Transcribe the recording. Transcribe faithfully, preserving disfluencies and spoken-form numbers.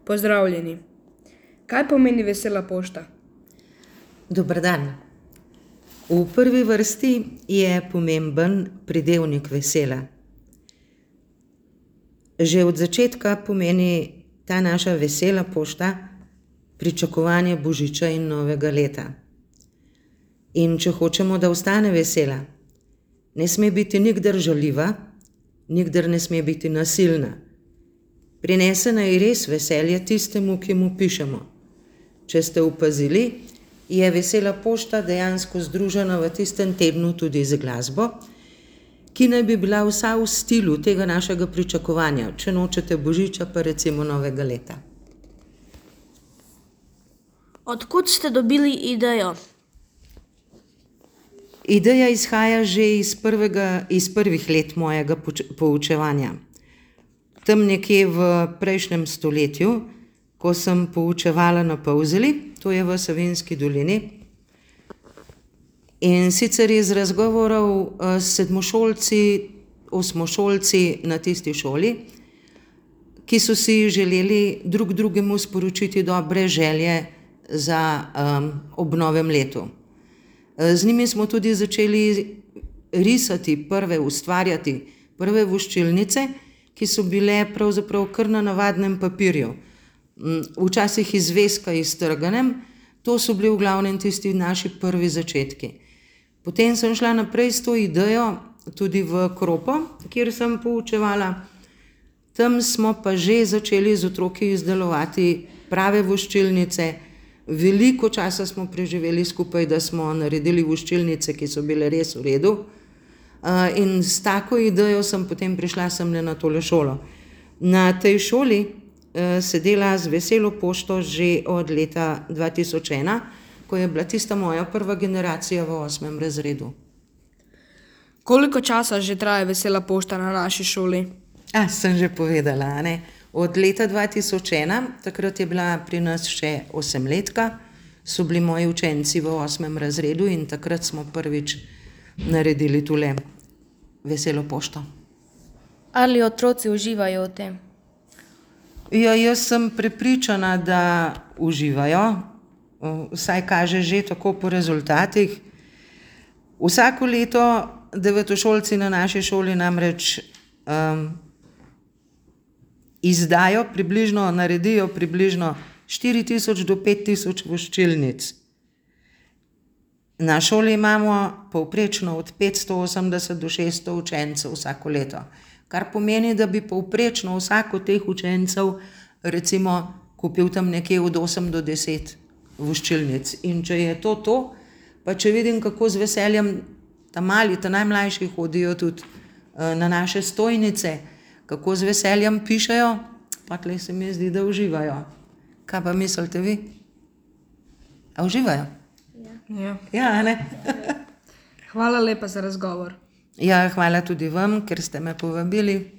Pozdravljeni. Kaj pomeni vesela pošta? Dober dan. V prvi vrsti je pomemben pridevnik vesela. Že od začetka pomeni ta naša vesela pošta pričakovanje božiča in novega leta. In če hočemo, da ostane vesela, ne sme biti nikdar žaljiva, nikdar ne sme biti nasilna. Prinese naj res veselje tistemu, ki mu pišemo. Če ste opazili, je vesela pošta dejansko združena v tistem tednu tudi z glasbo, ki naj bi bila vsa v stilu tega našega pričakovanja, če nočete božiča, pa recimo novega leta. Od kod ste dobili idejo? Ideja izhaja že iz prvega, iz prvih let mojega poučevanja. Tam nekje v prejšnjem stoletju, ko sem poučevala na Polzeli, to je v Savinjski dolini. In sicer iz razgovorov s sedmošolci, osmošolci na tisti šoli, ki so si želeli drug drugemu sporočiti dobre želje za um, ob novem letu. Z njimi smo tudi začeli risati prve, ustvarjati prve voščilnice, ki so bile pravzaprav kar na navadnem papirju. Včasih iz zvezka iztrganem, to so bili v glavnem tisti naši prvi začetki. Potem sem šla naprej s to idejo tudi v Kropo, kjer sem poučevala. Tam smo pa že začeli z otroki izdelovati prave voščilnice. Veliko časa smo preživeli skupaj, da smo naredili voščilnice, ki so bile res v redu. In s tako idejo sem potem prišla semle na tole šolo. Na tej šoli se dela z veselo pošto že od leta dva tisoč ena, ko je bila tista moja prva generacija v osmem razredu. Koliko časa že traja vesela pošta na naši šoli? A, sem že povedala, a ne? Od leta dva tisoč ena, takrat je bila pri nas še osemletka, so bili moji učenci v osmem razredu in takrat smo prvič naredili tule veselo pošto. Ali otroci uživajo v tem? Ja, jaz sem prepričana, da uživajo, vsaj kaže že tako po rezultatih. Vsako leto devetošolci na naši šoli namreč um, izdajo približno, naredijo približno štiri tisoč do pet tisoč voščilnic. Na šoli imamo povprečno od petsto osemdeset do šeststo učencev vsako leto, kar pomeni, da bi povprečno vsak od teh učencev recimo kupil tam nekje od osem do deset voščilnic. In če je to to, pa če vidim, kako z veseljem ta mali, ta najmlajši hodijo tudi na naše stojnice, kako z veseljem pišejo, pa tle se mi zdi, da uživajo. Kaj pa mislite vi? A uživajo? Ja. Ja, ne? Hvala lepa za razgovor. Ja, hvala tudi vam, ker ste me povabili.